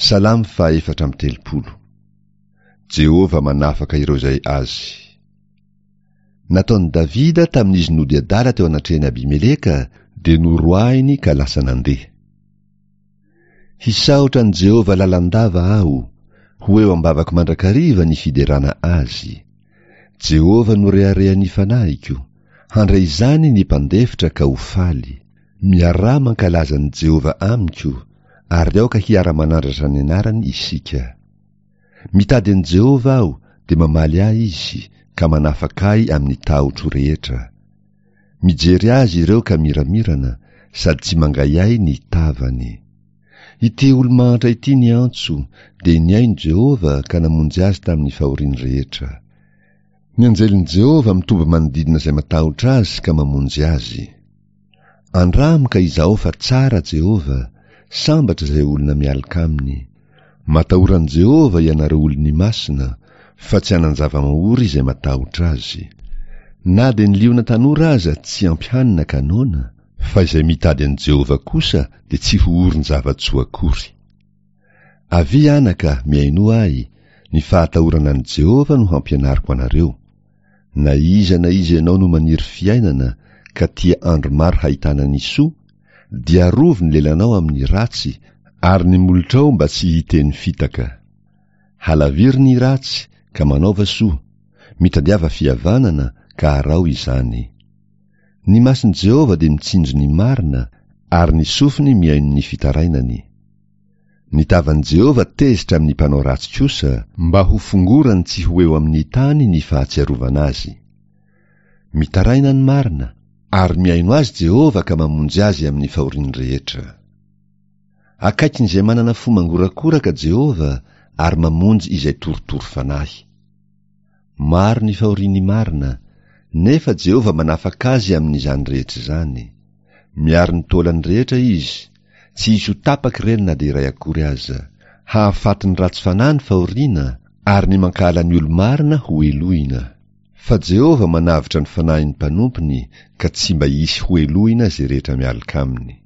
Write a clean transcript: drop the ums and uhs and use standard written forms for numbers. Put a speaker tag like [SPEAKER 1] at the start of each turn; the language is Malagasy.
[SPEAKER 1] Salamo faha 34. Jehovah manafaka ireo izay azy. Nataon'i Davida tamin'izy nody adala teo anatrehan'i Abimeleka, dia noroahiny ka lasa nandeha. Hisaotra an'i Jehovah lalandava aho, ho eo am-bavako mandrakariva ny fiderana azy. Jehovah no reharehan'ny fanahiko, handre izany ny mpandefitra ka ho faly. Miaraha mankalaza an'i Jehovah amiko, ary aoka hiara-manandratra ny anarany isika. Mitady an'i Jehovah aho, dia mamaly ahy izy, ka manafaka ahy amin'ny tahotro rehetra. Mijery azy ireo ka miramirana, sady tsy mangahiahy ny tavany. Ity olo-mahantra ity niantso, dia nihaino Jehovah ka namonjy azy tamin'ny fahoriany rehetra. Ny anjelin'i Jehovah mitombo manodidina izay matahotra azy ka mamonjy azy. Andramo ka izahao fa tsara Jehovah, sambatra izay olona mialoka aminy. Matahora an'i Jehovah ianareo olony masina, fa tsy hanan-java-mahory izay matahotra azy. Na dia ny liona tanora aza tsy ampy hanina ka noana, fa izay mitady an'i Jehovah kosa dia tsy ho orin-java-tsoa akory. Avia anaka, mihainoa ahy, ny fahatahorana an'i Jehovah no hampianariko anareo. Na iza na iza ianao no maniry fiainana ka tia andro maro hahitana ny soa, dia arovy ny lelanao amin'ny ratsy ary ny molotrao mba tsy hiteny fitaka. Halaviro ny ratsy ka manaova soa, mitadiava fihavanana ka araho izany. Ny mason'i Jehovah dia mitsinjo ny marina ary ny sofiny mihaino ny fitarainany. Ny tavan'i Jehovah tezitra amin'ny mpanao ratsy kosa, mba ho fongorany tsy ho eo amin'ny tany ny fahatsiarovana azy. Mitaraina ny marina, ary mihaino azy Jehovah ka mamonjy azy amin'ny fahoriany rehetra. Akaikin'izay manana fo mangorakoraka Jehovah ary mamonjy izay torotoro fanahy. Maro ny fahorian'ny marina, nefa Jehovah manafaka azy amin'izany rehetra izany. Miaro ny taolany rehetra izy, tsy hisy ho tapaka ireny na dia iray akory aza. Hahafaty ny ratsy fanahy ny fahoriana, ary ny mankahala ny olo-marina ho helohina. Fa Jehovah manavotra ny fanahin'ny mpanompony, ka tsy mba hisy ho helohina izay rehetra mialoka aminy.